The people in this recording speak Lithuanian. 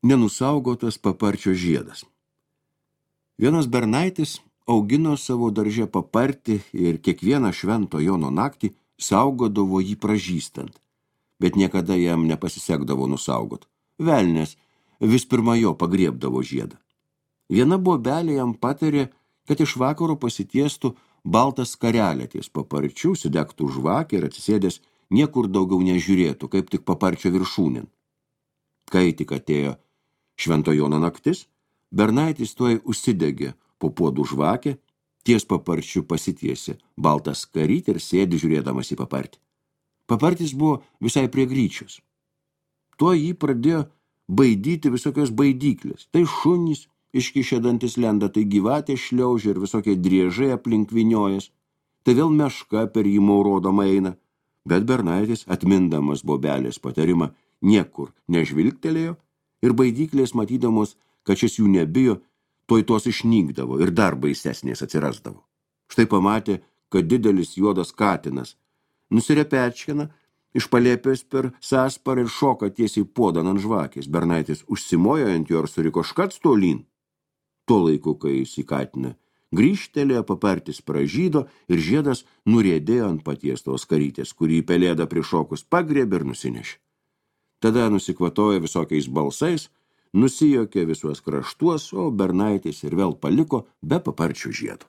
Nenusaugotas paparčio žiedas. Vienas bernaitis augino savo darže papartį ir kiekvieną švento Jono naktį saugodavo jį pražystant, bet niekada jam nepasisekdavo nusaugot. Velnias vis pirma jo pagriebdavo žiedą. Viena bobelė jam patarė, kad iš vakaro pasitiestų baltą skarelę ties paparčių, sudegtų žvakę ir atsisėdęs niekur daugiau nežiūrėtų, kaip tik paparčio viršūnin. Kai tik atėjo Švento Jono naktis, bernaitis tuoj užsidegė po puodų žvakę, ties paparčiu pasitiesė baltą skarytę ir sėdi žiūrėdamas į papartį. Papartis buvo visai prie gryčios. Tuo jį pradėjo baidyti visokios baidyklės. Tai šunys iškišę dantis lenda, tai gyvatė šliaužia ir visokie driežai aplink viniojas. Tai vėl meška per jį maurodama eina. Bet bernaitis, atmindamas bobelės patarimą, niekur nežvilgtelėjo ir baidyklės matydamos, kad šis jų nebijo, tuoj tos išnykdavo ir dar baisesnės atsirasdavo. Štai pamatė, kad didelis juodas katinas nusirepečkina iš palėpės per sąsparą ir šoka tiesiai puodan ant žvakės. Bernaitis užsimojo ant jo ir suriko škac tolyn. Tuo laiku, kai jis į katiną grįžtelėjo, papartis pražydo ir žiedas nuriedėjo ant paties tos karytės, kurį pelėda prišokus pagriebė ir nusinešė. Tada nusikvatojo visokiais balsais, nusijokė visuos kraštuos, o bernaitis ir vėl paliko be paparčių žiedo.